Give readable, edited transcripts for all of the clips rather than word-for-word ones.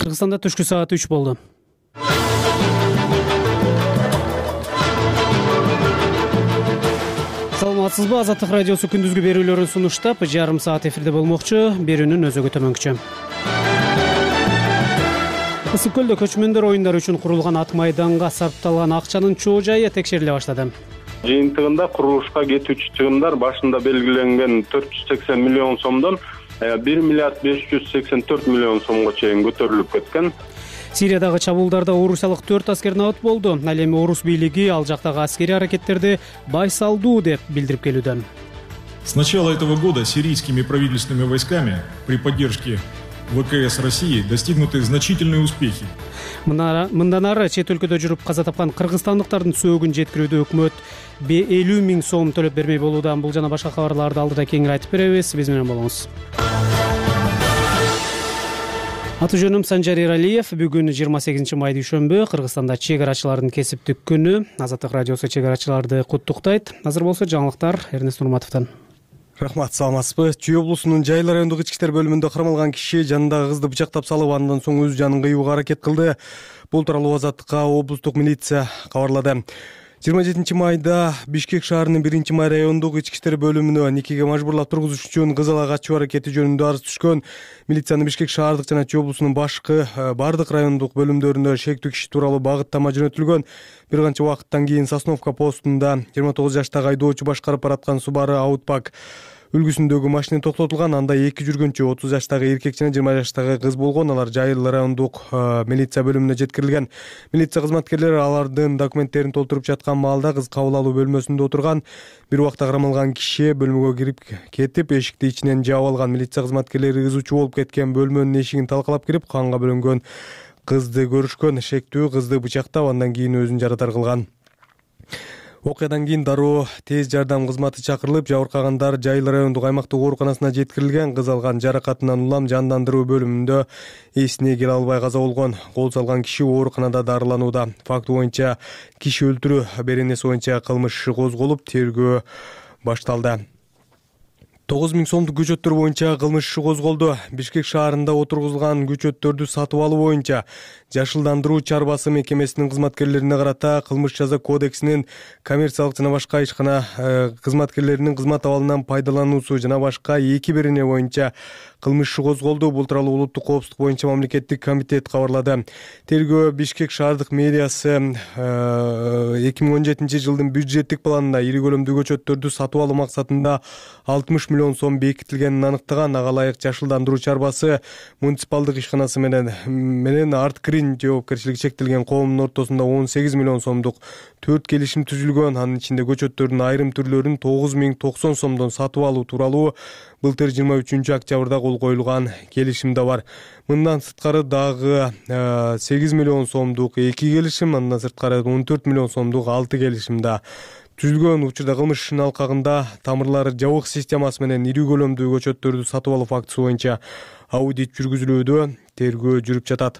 Кыргызстанда түшкү саат 3 болду. Саламатсызбы? Азаттык радиосу күндүзгү берүүлөрүн сунуштап, жарым саат эфирде болмокчу. Берүүнүн өзөгү төмөнкүчө. Ысык көлдө көчмөндөр оюндары үчүн курулган ат майданга сарпталган акчанын чоо жайы текшериле баштады. Жыйынтыгында курулушка кетүүчү чыгымдар башында белгиленген 480 миллион сомдон 1 миллиард 584 миллион сомго чейин көтөрүлүп кеткен. Сириядагы чабуулдарда орусиялык 4 аскер набыт болду. Ал эми орус бийлиги ал жактагы аскерий аракеттерди байсалдуу деп билдирип келүүдө. С начала этого года сирийскими правительственными войсками при поддержке ВКС России достигнуты значительные успехи. Мындан ары чет өлкөдө жүрүп каза тапкан кыргызстандыктардын сөөгүн жеткирүүдө өкмөт 50 миң сом төлөп бермей болууда. Бул жана башка кабарларды алдыда кеңири айтып беребиз. Биз менен болуңуз. Аты жөнүм Санжар Эралиев. Бүгүн 28 май дүйшөмбү. Кыргызстанда чек арачылардын кесиптик күнү. Азаттык радиосу чек арачыларды куттуктайт. Азыр болсо жаңылыктар Эрнест Нурматовдон. Рахмат, саламатсызбы? Чүй облусунун Жайыл райондук ички иштер бөлүмүндө кармалган киши жанындагы кызды бычактап салып, андан соң өз жанын кыюуга аракет кылды. Бул тууралуу Азаттыкка облустук милиция кабарлады. 27 майда Бишкек шаарынын 1 май райондук ички иштер бөлүмүнө никеге мажбурлап тургузуш үчүн кыз ала качуу аракети жөнүндө арыз түшкөн. Милициянын Бишкек шаардык жана Чүй облусунун башкы бардык райондук бөлүмдөрүнө шектүү киши тууралуу багыттама жөнөтүлгөн. Бир канча убакыттан кийин Сосновка постунда 29 жаштагы айдоочу башкарып бараткан Subaru Outback үлгүсүндөгү машина токтотулган. Анда 2 жүргүнчү 30 жаштагы эркек жана 20 жаштагы кыз болгон. Алар Жайыл райондук милиция бөлүмүнө жеткирилген. Милиция кызматкерлери алардын документтерин толтуруп жаткан маалда кыз кабыл алуу бөлмөсүндө отурган. Бир убакта кармалган киши бөлмөгө кирип кетип, эшикти ичинен жаап алган. Милиция кызматкерлери ызычуу болуп кеткен бөлмөнүн эшигин талкалап кирип, канга бөлөнгөн кызды көрүшкөн. Шектүү кызды бычактап, андан кийин өзүн жарадар кылган. Окуядан кийин дароо тез жардам кызматы чакырылып, жабыркагандар Жайыл райондук аймактык ооруканасына жеткирилген. Кыз алган жаракатынан улам жандандыруу бөлүмүндө эсине келе албай каза болгон. Кол салган киши ооруканада дарыланууда. Факт боюнча киши өлтүрүү беренеси боюнча кылмыш иши козголуп, тергөө башталды. 9 миң сомдук көчөттөр боюнча кылмыш иши козголду. Бишкек шаарында отургузулган көчөттөрдү сатып алуу боюнча Жашылдандыруу чарбасы мекемесинин кызматкерлерине карата Кылмыш жаза кодексинин коммерциялык жана башка ишкана кызматкерлеринин кызмат абалынан пайдалануусу жана башка 2 берене боюнча кылмыш иши козголду. Бул тууралуу улуттук коопсуздук боюнча мамлекеттик комитет кабарлады. Тергөө Бишкек шаардык мэриясы 2017 жылдын бюджеттик планында ири көлөмдүү көчөттөрдү сатып алуу максатында 60 миллион сом бекитилгенин аныктаган. Ага ылайык Жашылдандыруу чарбасы муниципалдык ишканасы менен Арткрин жоопкерчилиги чектелген коомдун ортосунда 18 миллион сомдук 4 келишим түзүлгөн. Анын ичинде көчөттөрдүн айрым түрлөрүн 9090 сомдон сатып алуу тууралуу былтыр 23 октябрда кол коюлган келишим да бар. Мындан сырткары дагы 8 миллион сомдук 2 келишим, андан сырткары 14 миллион сомдук 6 келишим да түзүлгөн. Учурда кылмыш ишинин алкагында тамырлары жабык системасы менен ири көлөмдүү көчөттөрдү сатып алуу фактысы боюнча аудит жүргүзүлүүдө, тергөө жүрүп жатат.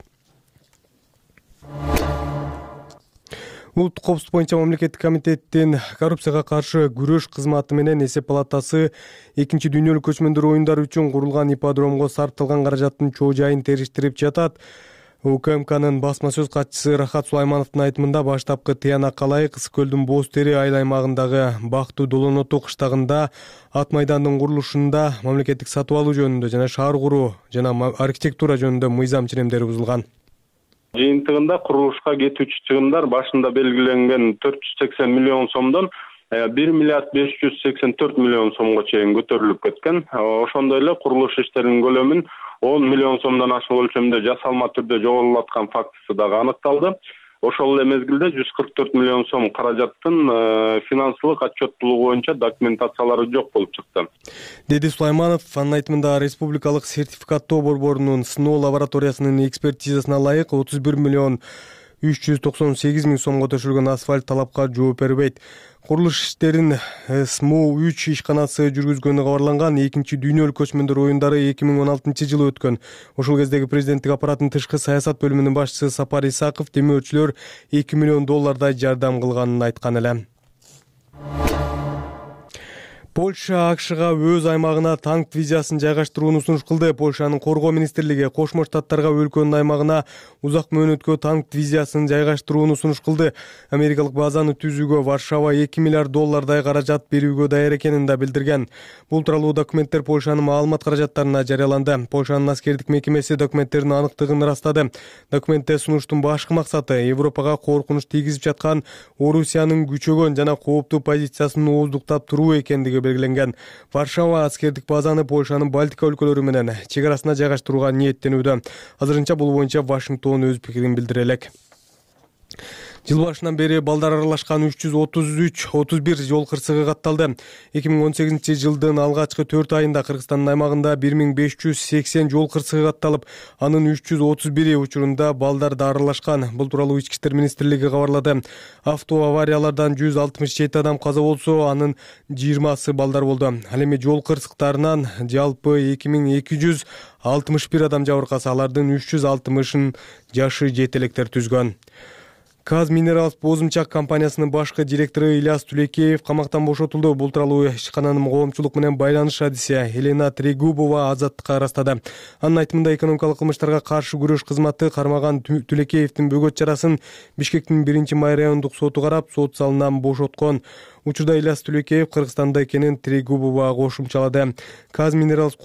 Улуттук коопсуздук боюнча мамлекеттик комитеттин коррупцияга каршы күрөш кызматы менен эсеп палатасы 2 дүйнөлүк көчмөндөр оюндары үчүн курулган ипподромго сарпталган каражаттын чоо жайын териштирип жатат. УКМКнын басма сөз катчысы Рахат Сулаймановдун айтымында баштапкы тыянакка ылайык Ысык көлдүн Боз Тери айыл аймагындагы Бактуу Долоноту кыштагында ат майдандын курулушунда мамлекеттик сатып алуу жөнүндө жана шаар куруу жана архитектура жөнүндө мыйзам ченемдери бузулган. Жыйынтыгында курулушка кетүүчү чыгымдар башында белгиленген 480 миллион сомдон 1 миллиард 584 миллион сомго чейин көтөрүлүп кеткен. Ошондой эле курулуш иштеринин көлөмүн 10 миллион сомдон ашык өлчөмдө жасалма түрдө жоготулаткан фактысы дагы аныкталды. Ошол эле мезгилде 144 миллион сом каражаттын финансылык отчеттуулугу боюнча документациялары жок болуп чыкты, деди Сулайманов. Анын айтымында республикалык сертификаттоо борборунун сыноо лабораториясынын экспертизасына ылайык 31 миллион 398 миң сомго төшөлгөн асфальт талапка жооп бербейт. Курулуш иштерин СМУ-3 ишканасы жүргүзгөнү кабарланган. 2 дүйнөлүк көчмөндөр оюндары 2016 жылы өткөн. Ошол кездеги президенттик аппараттын тышкы саясат бөлүмүнүн башчысы Сапар Исаков демөөрчүлөр 2 миллион доллардай жардам кылганын айткан эле. Польша АКШга өз аймагына танк дивизиясын жайгаштырууну сунуш кылды. Польшанын коргоо министрлиги Кошмо Штаттарга өлкөнүн аймагына узак мөөнөткө танк дивизиясын жайгаштырууну сунуш кылды. Америкалык базаны түзүүгө Варшава $2 миллиард каражат берүүгө даяр экенин да билдирген. Бул тууралуу документтер Польшанын маалымат каражаттарына жарыяланды. Польшанын аскердик мекемеси документтердин аныктыгын ырастады. Документте сунуштун башкы максаты Европага коркунуч тийгизип жаткан Орусиянын күчөгөн жана кооптуу позициясын ооздуктап туруу экендиги белгиленген. Варшава аскердик базаны Польшанын Балтика өлкөлөрү менен чек арасына жайгаштырууга ниеттенүүдө. Азырынча бул боюнча Вашингтон өз пикирин билдире элек. Жыл башынан бери балдар аралашкан 331 жол кырсыгы катталды. 2018-жылдын алгачкы 4 айында Кыргызстандын аймагында 1580 жол кырсыгы катталып, анын 331 учурунда балдар да аралашкан. Бул тууралуу Ички иштер министрлиги кабарлады. Автоавариялардан 167 адам каза болсо, анын 20сы балдар болду. Ал эми жол кырсыктарынан жалпы 2261 адам жабыркаса, алардын 360-ын жашы жете электер түзгөн. Казминералс Бозумчак компаниясынын башкы директору Ильяс Тулекеев камактан бошотулду. Бул тууралуу ишкананын коомчулук менен байланыш адиси Елена Трегубова Азаттыкка ырастады. Анын айтымында экономикалык кылмыштарга каршы күрөш кызматы кармаган Тулекеевдин бөгөт чарасын Бишкектин 1-май райондук соту карап, сот залынан бошоткон. Учурда Ильяс Тулекеев Кыргызстанда экенин Трегубова кошумчалады. Казминералс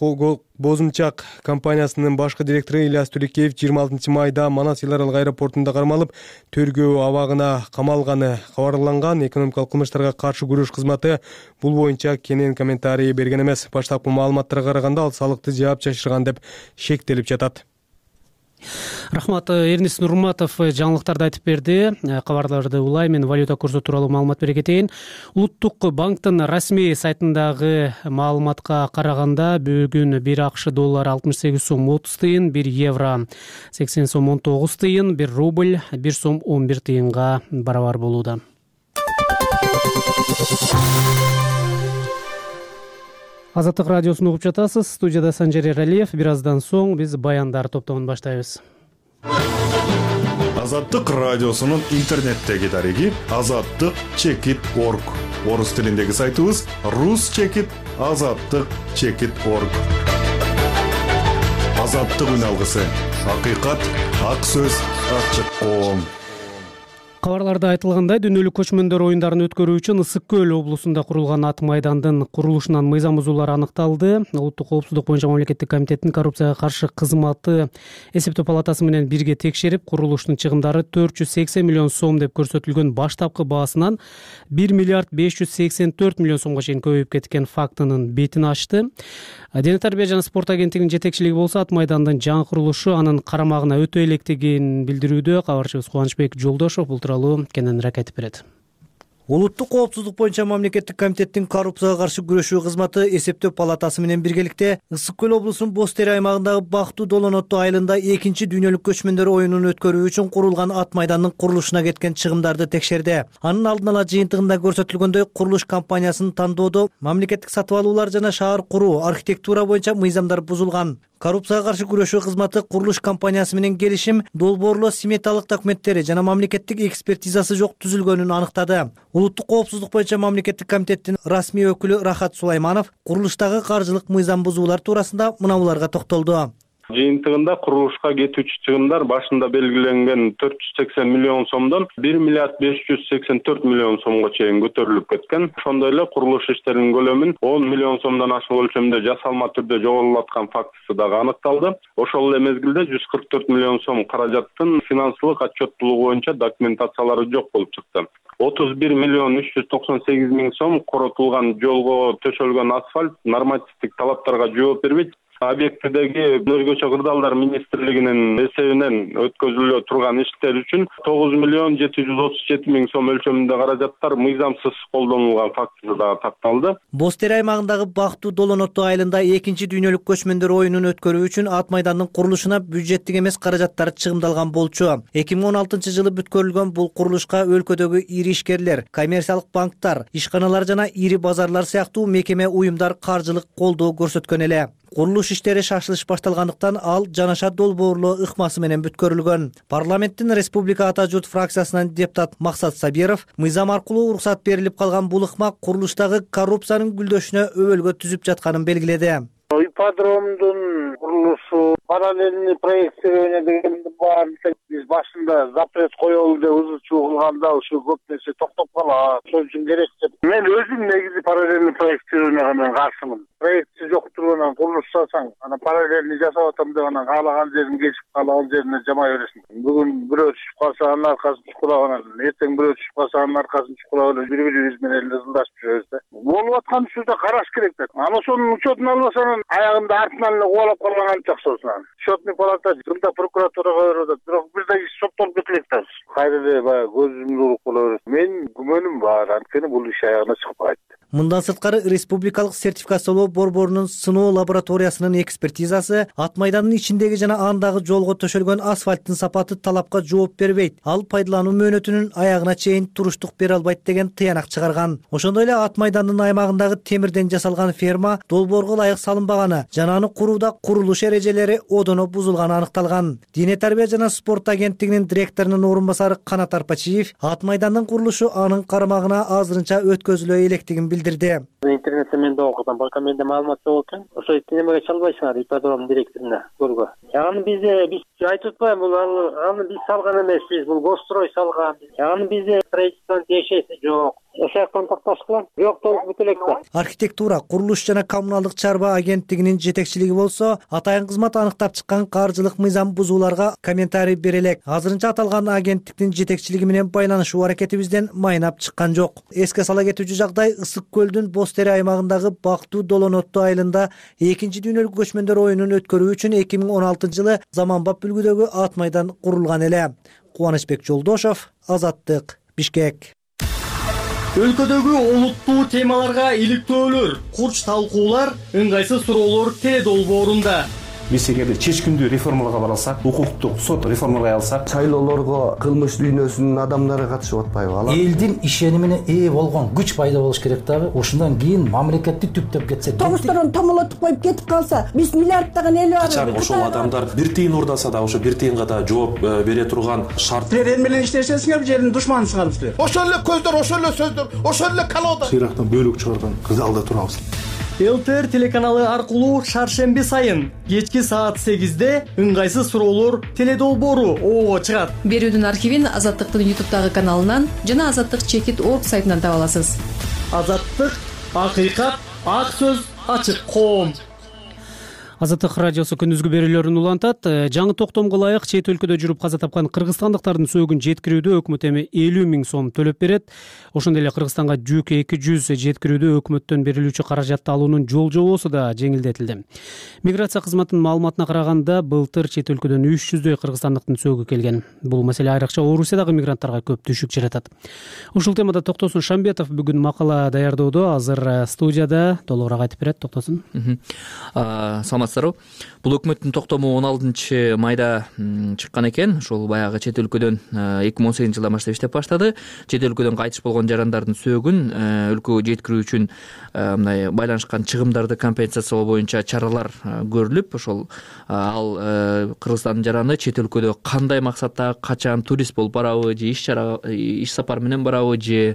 Бозумчак компаниясынын башкы директору Ильяс Тулекеев 26 майда Манас эл аралык аэропортунда кармалып, тергөө абагына камалганы кабарланган. Экономикалык кылмыштарга каршы күрөш кызматы бул боюнча кенен комментарий берген эмес. Баштапкы маалыматтарга караганда ал салыкты жаап жашырган деп шектелип жатат. Рахмат, Эрнис Нурматов жаңылыктарды айтып берди. Кабарларды улайм, мен валюта курсу тууралуу маалымат бере кетейин. Улуттук банктын расмий сайтындагы маалыматка караганда бүгүн 1 АКШ доллары 68 сом 30 тыйын, 1 евро 80 сом 19 тыйын, 1 рубль 1 сом 11 тыйынга барабар болууда. Азаттык радиосун угуп жатасыз. Студияда Санжар Эралиев. Бир аздан соң биз баяндар топтомун баштайбыз. Азаттык радиосунун интернеттеги дареги azattyk.org. Орус тилиндеги сайтыбыз ruschekit.azattyk.org. Азаттык үн алгысы. Акыйкат, ак сөз, ачык коом. Кабарларда айтылгандай, дүйнөлүк көчмөндөр оюндарын өткөрүү үчүн Ысык көл облусунда курулган ат майдандын курулушунан мыйзам бузуулар аныкталды. Улуттук коопсуздук боюнча мамлекеттик комитеттин коррупцияга каршы кызматы эсептөө палатасы менен бирге текшерип, курулуштун чыгымдары 480 миллион сом деп көрсөтүлгөн баштапкы баасынан 1 миллиард 584 миллион сомго чейин көбөйүп кеткен фактынын бетин ачты. Дене тарбия жана спорт агенттигинин жетекчилиги болсо ат майдандын жаңы курулушу анын карамагына өтө электигин билдирүүдө. Кабарчыбыз Кубанычбек Жолдошов бул тууралуу кененирээк айтып берет. Улуттук коопсуздук боюнча мамлекеттик комитеттин коррупцияга каршы күрөшүү кызматы эсептөө палатасы менен биргеликте Ысык көл облусунун Боз Тери аймагындагы Бактуу Долонотту айылында 2-чи дүйнөлүк көчмөндөр оюнун өткөрүү үчүн курулган ат майдандын курулушуна кеткен чыгымдарды текшерди. Анын алдын ала жыйынтыгында көрсөтүлгөндөй, курулуш компаниясынын тандоодо мамлекеттик сатып алуулар жана шаар куруу, архитектура боюнча мыйзамдар бузулган. Коррупцияга каршы күрөшүү кызматы курулуш компаниясы менен келишим, долбоорлоо сметалык документтери жана мамлекеттик экспертизасы жок түзүлгөнүн аныктады. Улуттук коопсуздук боюнча мамлекеттик комитеттин расмий өкүлү Рахат Сулайманов курулуштагы каржылык мыйзам бузуулар туурасында мынабуларга токтолду. Жыйынтыгында курулушка кетүүчү чыгымдар башында белгиленген 480 миллион сомдон 1 миллиард 584 миллион сомго чейин көтөрүлүп кеткен. Ошондой эле курулуш иштеринин көлөмүн 10 миллион сомдон ашык өлчөмдө жасалма түрдө жоголаткан фактысы дагы аныкталды. Ошол эле мезгилде 144 миллион сом каражаттын финансылык отчеттуулугу боюнча документациялары жок болуп чыкты. 31 миллион 398 миң сом коротулган жолго төшөлгөн асфальт нормативдик талаптарга жооп бербейт. Объектидеги Өнөргөчө кырдаалдар министрлигинин эсебинен өткөзүлө турган иштер үчүн 9 миллион 737 миң сом өлчөмүндө каражаттар мыйзамсыз колдонулган фактысы да такталды. Боз Тери аймагындагы Бактуу Долонотту айылында 2-чи дүйнөлүк көчмөндөр оюнун өткөрүү үчүн ат майдандын курулушуна бюджеттик эмес каражаттар чыгымдалган болчу. 2016-жылы бүткөрүлгөн бул курулушка өлкөдөгү ири ишкерлер, коммерциялык банктар, ишканалар жана ири базарлар сыяктуу мекеме уюмдар каржылык колдоо көрсөткөн эле. Курулуш иштери шашылыш башталгандыктан ал Жанаша долбоорлоо ыкмасы менен бүткөрүлгөн. Парламенттин Республика Ата журт фракциясынан депутат Максат Сабиров мыйзам аркылуу уруксат берилип калган бул ыкма курулуштагы коррупциянын гүлдөшүнө өбөлгө түзүп жатканын белгиледи. Ипподромдун курулушу, параллельный проектирование дегенди баарын биз башында запрет коелу деп ызычуу кылганда ушу көп нерсе токтоп калат. Ошон үчүн керек деп. Мен өзүм негизи параллельный проектированияга мен каршымын. Проектси жок тургунан курулуш жасасаң, анан параллельный жасап атам деп анан каалаган жерин кесип, каалаган жерине жамай бересиң. Бүгүн бирөө түшүп калса анын аркасын чукурап анан, эртең бирөө түшүп калса анын аркасын чукурап эле бири-бирибиз менен эле ылдашып жүрөбүз да. Болуп аткан ушурда караш керек да. Анан ошонун учетун албасаң аягында артынан эле кубалап калган анча акчасы. Счетный палата жылда прокуратурага берип атат. Бирок бирдей соттолуп кетелек да. Кайра эле баягы көзүмдү уруп кала берет. Мен күмөнүм бар, анткени бул иш аягына чыгып кайтты. Мындан сырткары республикалык сертификациялоо борборунун сыноо лабораториясынын экспертизасы Ат майдандын ичиндеги жана андагы жолго төшөлгөн асфальттын сапаты талапка жооп бербейт. Ал пайдалануу мөөнөтүнүн аягына чейин туруштук бере албайт деген тыянак чыгарган. Ошондой эле Ат майдандын аймагындагы темирден жасалган ферма долбоорго ылайык салынбаганы жана аны курууда курулуш эрежелери одоно бузулганы аныкталган. Дине тарбия жана спорт агенттигинин директорунун орун басары Канат Арпачиев Ат майдандын курулушу анын карамагына азырынча өткөзүлө электигин билдирди. Интернетте мен да окудум, башка менде маалымат жок экен. Ошо немеге чалбайсыңар ипподром директоруна көргө. Аны биз айтып атпайбы, бул аны биз салган эмеспиз, бул Госстрой салган. Аны бизде строительствонун тиешеси жок. Ошол жактан такташкыла. Бирок толук бүтүлек да. Архитектура, курулуш жана коммуналдык чарба агенттигинин жетекчилиги болсо, атайын кызмат аныктап чыккан каржылык мыйзам бузууларга комментарий бере элек. Азырынча аталган агенттиктин жетекчилиги менен байланышуу аракетибизден майнап чыккан жок. Эске сала кетүүчү жагдай Ысык көлдүн Боз Тери аймагындагы Бактуу Долонотту айылында 2 дүйнөлүк көчмөндөр оюнун өткөрүү үчүн 2016-жылы заманбап үлгүдөгү Ат майдан курулган эле. Кубанычбек Жолдошов, Азаттык, Бишкек. Өлкөдөгү олуттуу темаларга иликтөөлөр, курч талкуулар, ыңгайсыз суроолор теледолбоорунда. Биз эгерде чечкиндүү реформаларга бара алсак, укуктук сот реформалай алсак, шайлоолорго кылмыш дүйнөсүнүн адамдары катышып атпайбы? Алар элдин ишенимине ээ болгон күч пайда болуш керек дагы. Ошондон кийин мамлекетти түптөп кетсе, тогушторун томолотуп коюп кетип калса, биз миллиарддаган эл бар. Качан ошол адамдар бир тыйын урдаса да, ошо бир тыйынга да жооп бере турган шарт. Силер эл менен иштешесиңер, жердин душманысыңар силер. Ошол эле көздөр, ошол эле сөздөр, ошол эле колода. Сыйрактан бөлүк чыгарган кызалда турабыз. ЛТР телеканалы аркылуу шаршемби сайын кечки саат 8-де ыңгайсыз суроолор теледолбоору оого чыгат. Берүүдүн архивин Азаттыктын YouTube'дагы каналынан жана azаттык-org сайтынан таба аласыз. Азаттык, акыйкат, ак сөз, ачык коом. Азаттык радиосу күндүзгү берүүлөрүн улантат. Жаңы токтомго ылайык чет өлкөдө жүрүп каза тапкан кыргызстандыктардын сөөгүн жеткирүүдө өкмөт эми 50 000 сом төлөп берет. Ошондой эле Кыргызстанга жүк 200 жеткирүүдө өкмөттөн берилүүчү каражатты алуунун жол жобосу да жеңилдетилди. Миграция кызматынын маалыматына караганда, былтыр чет өлкөдөн 300дөй кыргызстандыктын сөөгү келген. Бул маселе айрыкча Орусиядагы мигранттарга көп түшүк жаратат. Ушул темада Токтосун Шамбетов бүгүн макала даярдоодо, азыр студияда толугураак айтып берет. Токтосун. Бул өкмөттүн токтому 16 майда чыккан экен. Ошол баягы чет өлкөдөн 2018-жылдан баштап иштеп баштады. Чет өлкөдөн кайтыш болгон жарандардын сөөгүн өлкөгө жеткирүү үчүн мындай байланышкан чыгымдарды компенсациялоо боюнча чаралар көрүлүп, ошол ал Кыргызстандын жараны чет өлкөдө кандай максатта, качан турист болуп барабы, же иш сапар менен барабы, же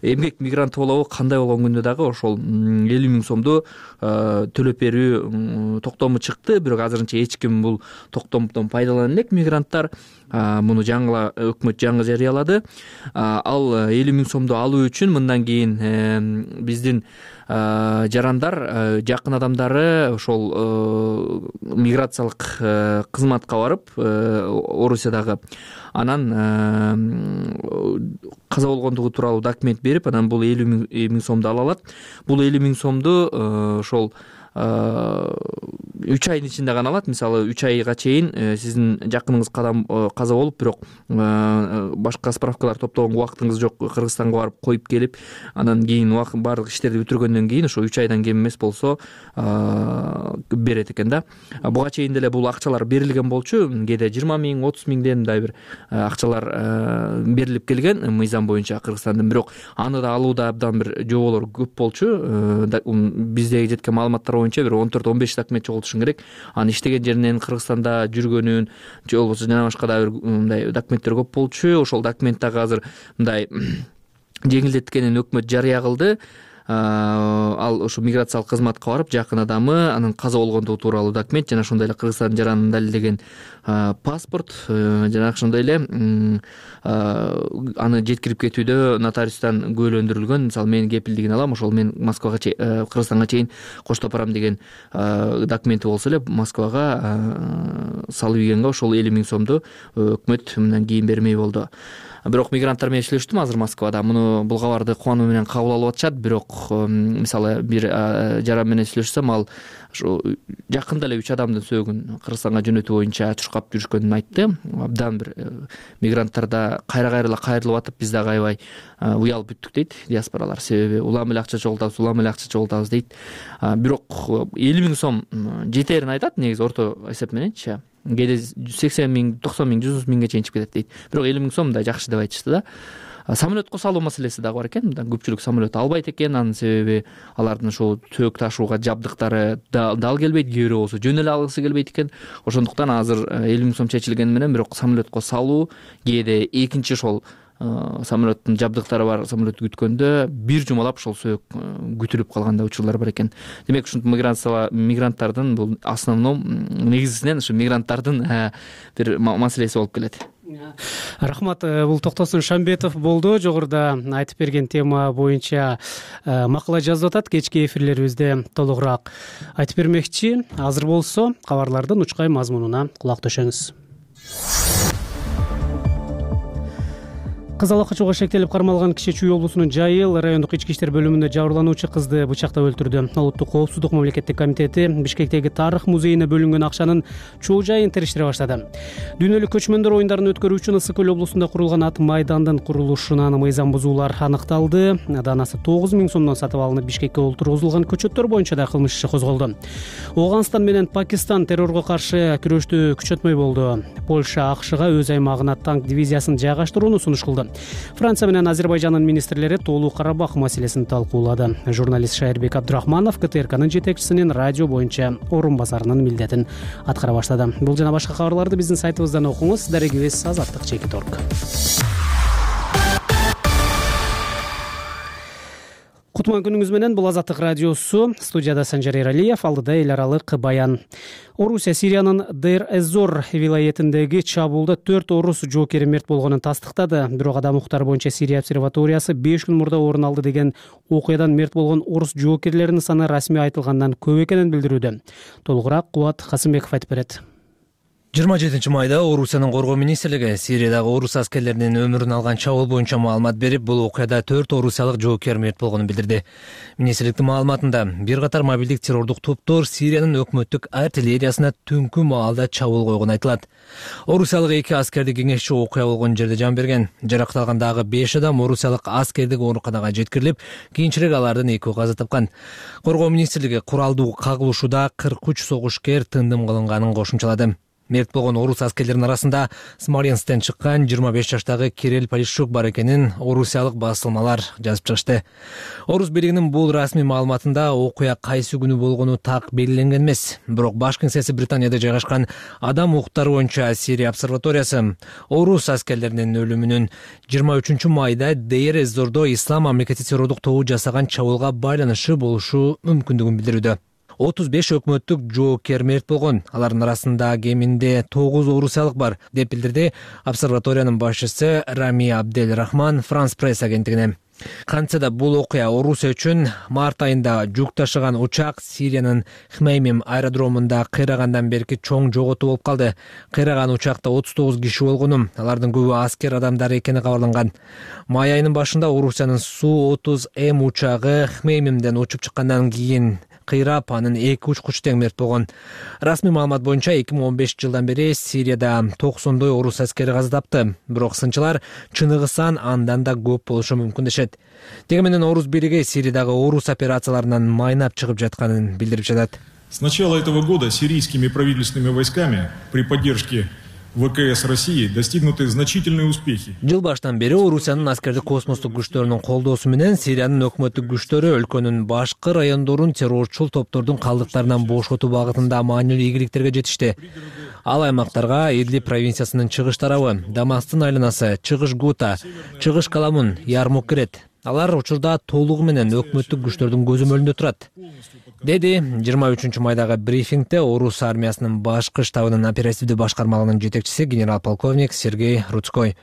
эмгек мигранты болобу, кандай болгон күндө дагы ошол 50 000 сомду төлөп берүү токтому чыкты. Бирок азырынча эч ким бул токтомдон пайдалана элек мигранттар. Муну жаңы өкмөт жаңы жарыялады. Ал 50 000 сомду алуу үчүн мындан кийин биздин жарандар, жакын адамдары ошол миграциялык кызматка барып, Орусиядагы, анан каза болгондугу тууралуу документ берип, анан бул 50 000 сомду ала алат. Бул 50 000 сомду ошол 3 айдын ичинде гана алат. Мисалы 3 айга чейин сиздин жакыныңыз каза болуп, бирок башка справкалар топтогонго убактыңыз жок, Кыргызстанга барып коюп келип, анан кийин баардык иштерди бүтүргөндөн кийин ошо 3 айдан кем эмес болсо берет экен да. Буга чейин деле бул акчалар берилген болчу. Кээде 20 000, 30 000 мындай бир акчалар берилип келген мыйзам боюнча Кыргызстандын. Бирок аны да алууда абдан бир жоболор көп болчу. Биздеги жеткен маалыматтар боюнча бир 14-15 документ жоголтушуң керек. Анын иштеген жеринен, Кыргызстанда жүргөнүн же болбосо жана башка да бир мындай документтер көп болчу. Ошол документ дагы азыр мындай жеңилдеткенин өкмөт жарыя кылды. Ал ошо миграциялык кызматка барып, жакын адамы анын каза болгондугу тууралуу документ жана ошондой эле Кыргызстандын жаранын далилдеген паспорт жана ошондой эле аны жеткирип кетүүдө нотариустан күбөлөндүрүлгөн, мисалы менин кепилдигин алам, ошол мен Москвага Кыргызстанга чейин коштоп барам деген документи болсо эле Москвага салып ийгенге ошол 50 000 сомду өкмөт мындан кийин бермей болду. Бирок мигранттар менен сүйлөштүм азыр Москвада. Бул кабарды кубануу менен кабыл алып атышат. Бирок мисалы бир жаран менен сүйлөшсөм, ал ушу жакында эле 3 адамдын сөөгүн Кыргызстанга жөнөтүү боюнча чуркап жүрүшкөнүн айтты. Абдан бир мигранттарда кайра-кайра кайрылып атып, биз дагы аябай уялып бүттүк дейт диаспоралар. Себеби улам эле акча чогултабыз дейт. Бирок 50 000 сом жетерин айтат негизи орто эсеп мененчи. Кээде 80 000, 90 000, 100 000ге чейин чыгып кетет дейт. Бирок 50 000 сом да жакшы деп айтышты да. Самолетко салуу маселеси дагы бар экен. Мындан көпчүлүк самолет албайт экен. Анын себеби алардын ошо төөк ташууга жабдыктары дал келбейт, кээ бирөө болсо жөн эле алгысы келбейт экен. Ошондуктан азыр 50 000 сом чечилгени менен бирок самолетко салуу, кээде экинчи ошол самолеттин жабдыктары бар самолет күткөндө бир жумалап ошол сөөк күтүлүп калгандай учурлар бар экен. Демек ушинтип мигранттардын бул основном негизинен ушу мигранттардын бир маселеси болуп келет. Рахмат. Бул Токтосун Шамбетов болду. Жогоруда айтып берген тема боюнча макала жазып атат. Кечки эфирлерибизде толугураак айтып бермекчи. Азыр болсо кабарлардын учкай мазмунуна кулак төшөңүз. Кызыл качууга шектелип кармалган киши Чүй облусунун Жайыл райондук ички иштер бөлүмүндө жабырлануучу кызды бычактап өлтүрдү. Улуттук коопсуздук мамлекеттик комитети Бишкектеги тарых музейине бөлүнгөн акчанын чоо жайын териштире баштады. Дүйнөлүк көчмөндөр оюндарын өткөрүү үчүн Ысык көл облусунда курулган ат майдандын курулушунан мыйзам бузуулар аныкталды. Данасы 9 000 сомдон сатып алынып, Бишкекке олтургузулган көчөттөр боюнча да кылмыш иши козголду. Ооганстан менен Пакистан террорго каршы күрөштү күчөтмөй болду. Польша АКШга өз аймагына танк дивизиясын жайгаштырууну сунуш кылды. Франция менен Азербайжандын министрлери Тоолуу Карабах маселесин талкуулады. Журналист Шайырбек Абдрахманов КТРКнын жетекчисинин радио боюнча орун басарынын милдетин аткара баштады. Бул жана башка кабарларды биздин сайтыбыздан окуңуз. Дарегибиз Азаттык.org. Кутман күнүңүз менен. Бул Азаттык радиосу. Студияда Санжар Эралиев, алдыда эл аралык баян. Орусия Сириянын Дейр-эз-Зор вилаятындагы чабуулда 4 орус жоокери мерт болгонун тастыктады. Бирок адам укуктары боюнча Сирия обсерваториясы 5 күн мурда орун алды деген окуядан мерт болгон орус жоокерлеринин саны расмий айтылгандан көп экенин билдирүүдө. Толугураак Кубат Касымбеков айтып берет. 27 майда Орусиянын коргоо министрлиги Сириядагы орус аскерлеринин өмүрүн алган чабуул боюнча маалымат берип, бул окуяда 4 орусиялык жоокер мерт болгонун билдирди. Министрликтин маалыматында бир катар мобилдик террордук топтор Сириянын өкмөттүк артиллериясына түнкү маалда чабуул койгону айтылат. Орусиялык 2 аскерди кеңешчи окуя болгон жерде жан берген. Жаракталган дагы 5 адам орусиялык аскердик ооруканага жеткирилип, кийинчерээк алардын 2 каза тапкан. Коргоо министрлиги куралдуу кагылышууда 43 согушкер тындым кылынганын кошумчалады. Мерт болгон орус аскерлеринин арасында Смоленсктен чыккан 25 жаштагы Кирилл Полищук бар экенин орусиялык басылмалар жазып чыгышты. Орус бийлигинин бул расмий маалыматында окуя кайсы күнү болгону так белгиленген эмес. Бирок баш кеңсеси Британияда жайгашкан адам укуктары боюнча Сирия обсерваториясы орус аскерлеринин өлүмүнүн 23 майда Дейр-эз-Зордо ислам мамлекети террордук тобу жасаган чабуулга байланышы болушу мүмкүндүгүн билдирүүдө. 35 өкмөттүк жоокер мерт болгон. Алардын арасында кеминде 9 орусиялык бар, деп билдирди обсерваториянын башчысы Рами Абдель Рахман Франс пресс агенттигине. Кантсе да бул окуя Орусия үчүн март айында жүк ташыган учак Сириянын Хмеймим аэродромунда кыйрагандан берки чоң жоготуу болуп калды. Кыйраган учакта 39 киши болгону, алардын көбү аскер адамдары экени кабарланган. Май айынын башында Орусиянын Су-30М учагы Хмеймимден учуп чыккандан кийин кыйрап, анын 2 учкучу тең мерт болгон. Расмий маалымат боюнча 2015 жылдан бери Сирияда 90 орус аскери каза тапты. Бирок сынчылар чыныгы сан андан да көп болушу мүмкүн дешет. Деги менен орус бийлиги Сириядагы орус операцияларынан майнап чыгып жатканын билдирип жатат. С начала этого года сирийскими правительственными войсками при поддержке ВКС России достигнуты значительные успехи. Жыл баштан бери Орусиянын аскердик космостук күчтөрүнүн колдоосу менен Сириянын өкмөттүк күчтөрү өлкөнүн башкы райондорун террорчул топтордун калдыктарынан бошотуу багытында маанилүү ийгиликтерге жетишти. Ал аймактарга Идлиб провинциясынын чыгыш тарабы, Дамастын айланасы, Чыгыш Гута, Чыгыш Каламун, Ярмук кирет. Алар учурда толугу менен өкмөттүк күчтөрдүн көзөмөлүндө турат, деди 23 майдагы брифингде Орус армиясынын башкы штабынын оперативдүү башкармалыгынын жетекчиси генерал-полковник Сергей Рудской.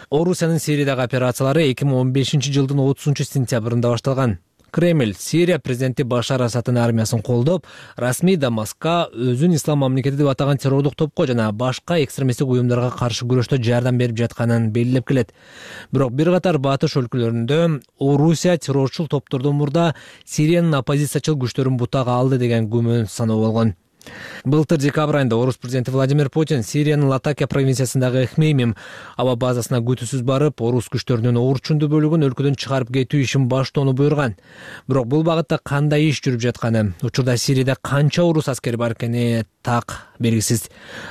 Орусиянын Сириядагы операциялары 2015 жылдын 30 сентябрында башталган. Кремль Сирия президенти Башар Асаддын армиясын колдоп, расмий Дамаскка өзүн ислам мамлекети деп атаган террордук топко жана башка экстремисттик уюмдарга каршы күрөштө жардам берип жатканын белгилеп келет. Бирок бир катар батыш өлкөлөрүндө Орусия террорчул топтордон мурда Сириянын оппозициячыл күчтөрүн бутага алды деген күмөн саноо болгон. Былтыр декабрь айында Орус президенти Владимир Путин Сириянын Латакия провинциясындагы Хмеймим аба базасына күтүүсүз барып, орус күчтөрүнүн орчундуу бөлүгүн өлкөдөн чыгарып кетүү ишин баштоону буйруган. Бирок бул багытта кандай иш жүрүп жатканы, учурда Сирияда канча орус аскери бар экени так белгисиз.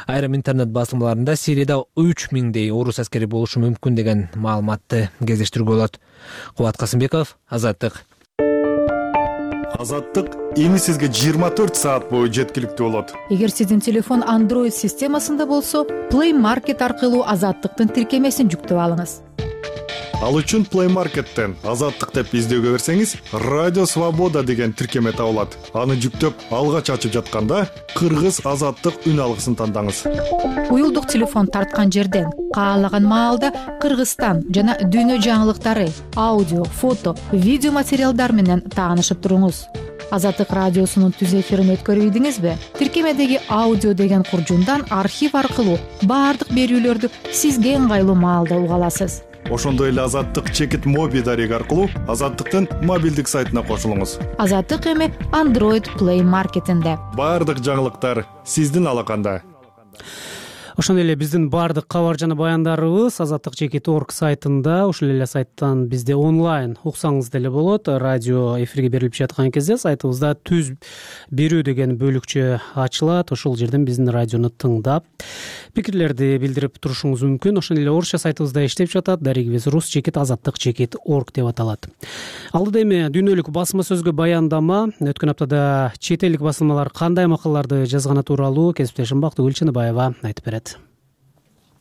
Айрым интернет басылмаларында Сирияда 3000дей орус аскери болушу мүмкүн деген маалыматты кездештирүүгө болот. Кубат Касымбеков, Азаттык. Азаттык эми сизге 24 саат бою жеткиликтүү болот. Эгер сиздин телефон Android системасында болсо, Play Market аркылуу Азаттыктын тиркемесин жүктөп алыңыз. Ал үчүн Play Market'тен Азаттык деп издөөгө берсеңиз, Радио Свобода деген тиркеме табылат. Аны жүктөп, алгач ачып жатканда Кыргыз Азаттык үн алгысын тандаңыз. Уюлдук телефон тарткан жерден каалаган маалда Кыргызстан жана дүйнө жаңылыктары, аудио, фото, видео материалдар менен таанышып туруңуз. Азаттык радиосунун түз эфирин өткөрүп ийдиңизби? Тиркемедеги аудио деген куржундан архив аркылуу баардык берүүлөрдү сизге ыңгайлуу маалда уга аласыз. Ошондой эле Азаттык чекит моби дареги аркылуу Азаттыктын мобилдик сайтына кошулуңуз. Азаттык эми Android Play Market'инде. Баардык жаңылыктар сиздин алаканда. Ошондой эле биздин баардык кабар жана баяндарыбыз Азаттык чекит.org сайтында, ушул эле сайттан бизде онлайн уксаңыз деле болот. Радио эфирге берилип жаткан кезде сайтыбызда түз берүү деген бөлүкчө ачылат. Ошол жерден биздин радиону тыңдап, пикирлерди билдирип турушуңуз мүмкүн. Ошондой эле орусча сайтыбызда иштеп жатат. Дарегибиз рус чекит Азаттык чекит.org деп аталат. Алдыда эми дүйнөлүк басма сөзгө баяндама. Өткөн аптада чет элдик басылмалар кандай макалаларды жазганы тууралуу кесиптешим Бактыгүл Чыныбаева айтып берет.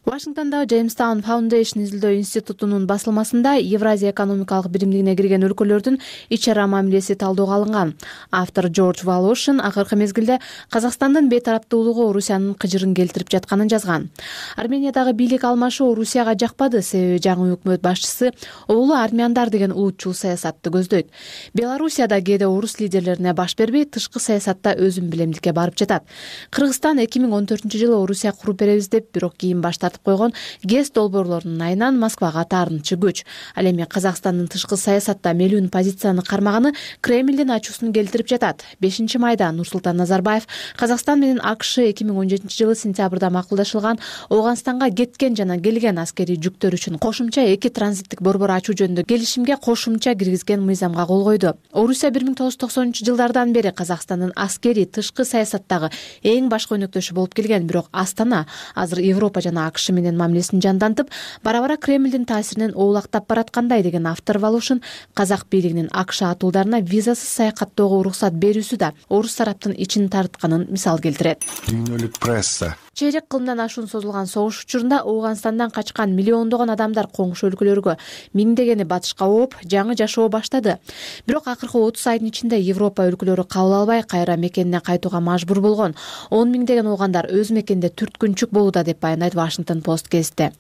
Вашингтондагы Jamestown Foundation изилдөө институтунун басылмасында Евразия экономикалык биримдигине кирген өлкөлөрдүн ич-ара мамилеси талдөөгө алынган. Автор Джордж Волошин акыркы мезгилде Казакстандын бейтараптуулугу Орусиянын кыжырын келтирип жатканын жазган. Армениядагы бийлик алмашуу Орусияга жакпады, себеби жаңы өкмөт башчысы улуу армяндар деген улутчул саясатты көздөйт. Белоруссияда кээде орус лидерлерине баш бербей, тышкы саясатта өзүн билемдикке барып жатат. Кыргызстан 2014-жылы Орусия куруп беребиз деп, бирок кийин баш тартып койгон ГЭС долбоорлорунун айынан Москвага таарынчы күч. Ал эми Казакстандын тышкы саясатта мелүүн позицияны кармаганы Кремлдин ачуусун келтирип жатат. 5-майда Нурсултан Назарбаев Казакстан менен АКШ 2017-жылы сентябрда макулдашылган Ооганстанга кеткен жана келген аскерий жүктөр үчүн кошумча 2 транзиттик борбор ачуу жөнүндө келишимге кошумча киргизген мыйзамга кол койду. Орусия 1990-жылдардан бери Казакстандын аскерий тышкы саясаттагы эң баш көйнөктөшү болуп келген, бирок Астана азыр Европа жана АКШ менен мамилесин жандантып, бара-бара Кремлдин таасиринен оолактап бараткандай деген автор Волошин казак бийлигинин АКШ атуулдарына визасыз саякаттоого уруксат берүүсү да орус тараптын ичин тартканын мисал келтирет. Дүйнөлүк пресса чейрек кылымдан ашуун созулган согуш учурунда Ооганстандан качкан миллиондогон адамдар коңшу өлкөлөргө, миңдегени батышка ооп, жаңы жашоо баштады. Бирок акыркы 30 айдын ичинде Европа өлкөлөрү кабыл албай, кайра мекенине кайтууга мажбур болгон. 10 миңдеген оогандар өз мекенинде түрткүнчүк болууда деп баяндайт Washington Post гезити.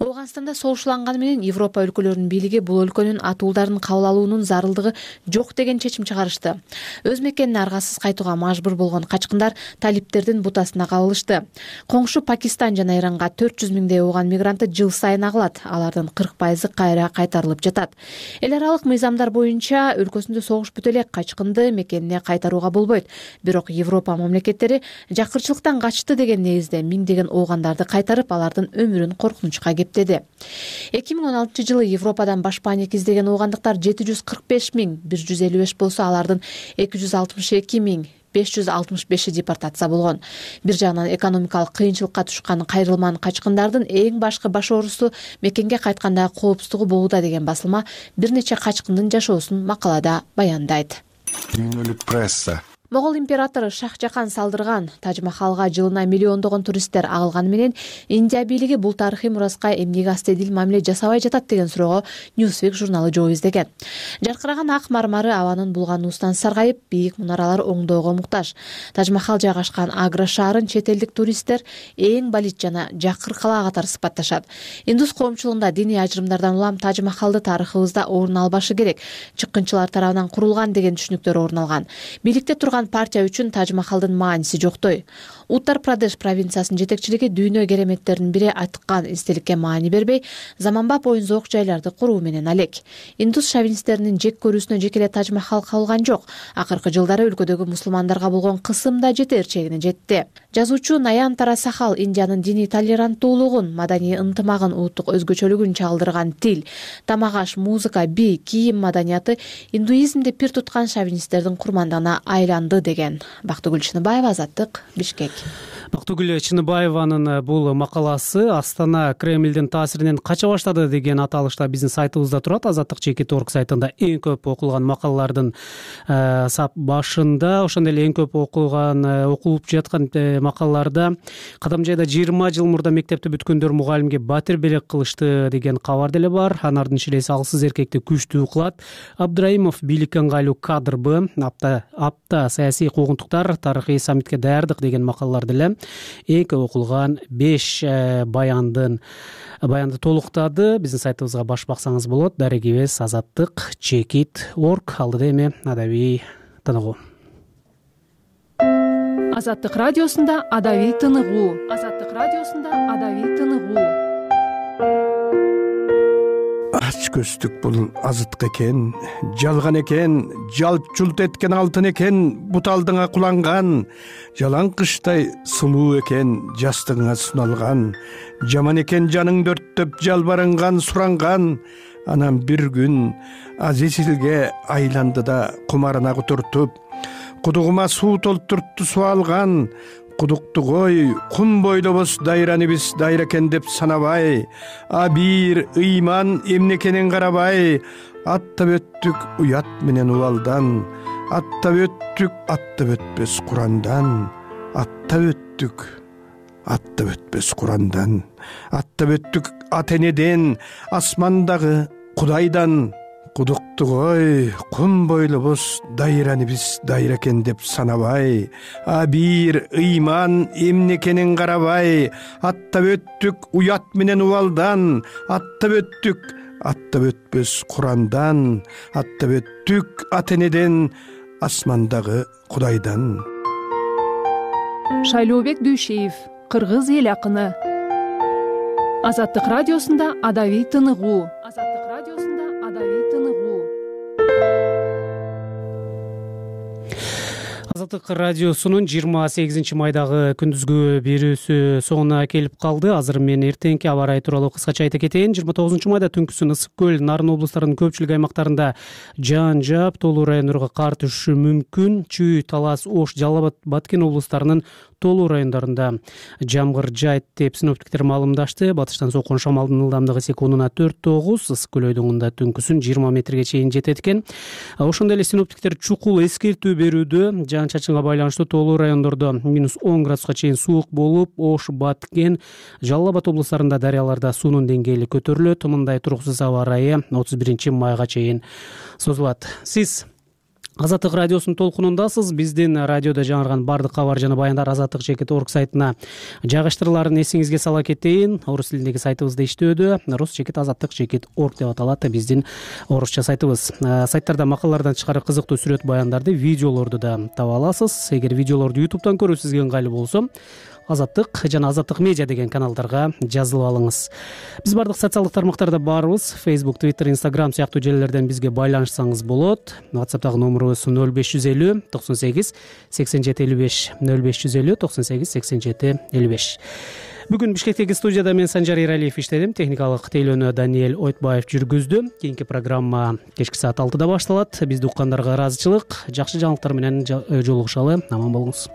Ооганстанда согушланганы менен Европа өлкөлөрүнүн бийлиги бул өлкөнүн атуулдарын кабыл алуунун зарылдыгы жок деген чечим чыгарышты. Өз мекенине аргасыз кайтууга мажбур болгон качкындар талиптердин бутасына кабылышты. Коңшу Пакистан жана Иранга 400 миңдей ооган мигранты жыл сайын агылат. Алардын 40% кайра кайтарылып жатат. Эл аралык мыйзамдар боюнча өлкөсүндө согуш бүтө элек качкынды мекенине кайтарууга болбойт. Бирок Европа мамлекеттери жакырчылыктан качты деген негизде миңдеген оогандарды кайтарып, алардын өмүрүн коркунучка кептеди. 2016-жылы Европадан баш паник издеген оогандыктар 745 миң 155 болсо, алардын 262 миң 565 депортация болгон. Бир жагынан экономикалык кыйынчылыкка түшкөн кайрылман качкындардын эң башкы баш оорусу мекенге кайткандагы коопсуздугу болууда деген басылма бир нече качкындын жашоосун макалада баяндайт. Дүйнөлүк пресса Могол императору Шах-Жахан салдырган Тадж-Махалга жылына миллиондогон туристтер агылганы менен Индия бийлиги бул тарыхый мураска эмнеге астедил мамиле жасабай жатат деген суроого Newsweek журналы жооп издеген. Жаркыраган ак мармары абанын булгануусунан саргайып, бийик мунаралар оңдоого муктаж. Тадж-Махал жайгашкан Агра шаарын чет элдик туристтер эң балит жана жакыр калаа катары сыпатташат. Индус коомчулугунда диний ажырымдардан улам Тадж-Махалды тарыхыбызда орун албашы керек, чыккынчылар тарабынан курулган деген түшүнүктөр орун алган. Бийликте турган партия үчүн Тадж-Махалдын мааниси жоктой. Уттар-Прадеш провинциясынын жетекчилиги дүйнө кереметтеринин бири айткан эстеликке маани бербей, заманбап оюн-зоок жайларды куруу менен алек. Индус шовинисттеринин жек көрүүсүнө жекеле Тадж-Махал кабылган жок. Акыркы жылдары өлкөдөгү мусулмандарга болгон кысым да жетер чегине жетти. Жазуучу Наянтара Сахал Индиянын диний толеранттуулугун, маданий ынтымагын, улуттук өзгөчөлүгүн чагылдырган тил, тамак-аш, музыка, бий, кийим маданияты индуизмди пир туткан шовинисттердин курмандыгына айланды деген. Бактыгүл Чыныбаева, Азаттык, Бишкек. Бактыгүл Чыныбаеванын бул макаласы Астана Кремлдин таасиринен кача баштады деген аталышта биздин сайтыбызда турат. Азаттык.org сайтында эң көп окулган макалалардын сап башында, ошондой эле эң көп окулуп жаткан макалаларда Кадамжайда 20 жыл мурда мектепти бүткөндөр мугалимге батир белек кылышты деген кабар деле бар. Анардын шилеси алсыз эркекти күчтүү кылат. Абдраимов бийликке ыңгайлуу кадрбы, апта саясий куугунтуктар, тарыхый саммитке даярдык деген макалалар деле эң көп окулган 5 баянды толуктады. Биздин сайтыбызга баш баксаңыз болот. Дарегибиз Азаттык.org. Алдыда эми адабий тыныгуу. Азаттык радиосунда адабий тыныгуу. Азаттык радиосунда адабий тыныгуу. Ач көздүк бул азыттык экен, жалган экен, жалт жулт эткен алтын экен, буталдыңа куланган, жалаң кыштай сулуу экен, жастыгыңа суналган, жаман экен жаның дөрттөп жалбарынган, суранган. Анан бир күн Азизилге айланды да кумарына кутуртуп, кудугума суу толтуртту суалган. Кудукту кой, кум бойлобуз дайраныбыз дайра экен деп санабай, а бир ыйман эмнекенин карабай, аттап өттүк уят менен убалдан, аттап өтпөс Курандан, аттап өтпөс Курандан, аттап өттүк ата энеден, асмандагы Кудайдан. Кудукту кой, кум бойлобуз дайраныбыз дайра экен деп санабай, а бир ыйман эмнекенин карабай, аттап өттүк уят менен убалдан, аттап өтпөс Курандан, аттап өттүк ата энеден, асмандагы Кудайдан. Шайлообек Дүйшеев, кыргыз эл акыны. Азаттык радиосунда адабий тыныгуу. Азаттык радиосунда адабий тыныгуу. Азаттык радиосунун 28 майдагы күндүзгү берүүсү соңуна келип калды. Азыр мен эртеңки аба ырайы тууралуу кыскача айта кетейин. 29 майда түнкүсүн Ысык көл, Нарын облустарынын көпчүлүк аймактарында жаан жаап, тоолуу райондорго кар түшүшү мүмкүн. Чүй, Талас, Ош, Жалал Абад, Баткен облустарынын тоолуу райондорунда жамгыр жайт деп синоптиктер маалымдашты. Батыштан соккон шамалдын ылдамдыгы секундуна 4-9, Ысык көл өйдөгүндө түнкүсүн 20 метрге чейин жетет экен. Ошондой эле синоптиктер чукул эскертүү берүүдө. Жаан-чачынга байланыштуу тоолуу райондордо -10 градуска чейин суук болуп, Ош, Баткен, Жалал Абад облустарында дарыяларда суунун деңгээли көтөрүлөт. Мындай туруксуз аба ырайы 31 майга чейин созулат. Сиз Азаттык радиосунун толкунундасыз. Биздин радиодо жаңырган бардык кабар жана баяндар Азаттык.org сайтына жайгаштырыларын эсиңизге сала кетейин. Орус тилиндеги сайтыбызда иштөөдө. Rus.Azattyk.org деп аталат биздин орусча сайтыбыз. Сайттарда макалалардан тышкары кызыктуу сүрөт баяндарды, видеолорду да таба аласыз. Эгер видеолорду YouTube'дан көрүү сизге ыңгайлуу болсо, Азаттык жана Азаттык медиа деген каналдарга жазылып алыңыз. Биз бардык социалдык тармактарда барбыз. Facebook, Twitter, Instagram сыяктуу желилерден бизге байланышсаңыз болот. WhatsApp'тагы номерубуз 0550 98 87 55 0550 98 87 55. Бүгүн Бишкектеги студияда мен Санжар Эралиев иштедим. Техникалык тейлөөнү Даниэль Ойтбаев жүргүздү. Кийинки программа кечки саат 6-да башталат. Бизди уккандарга ыраазычылык. Жакшы жаңылыктар менен жолугушалы. Аман болуңуз.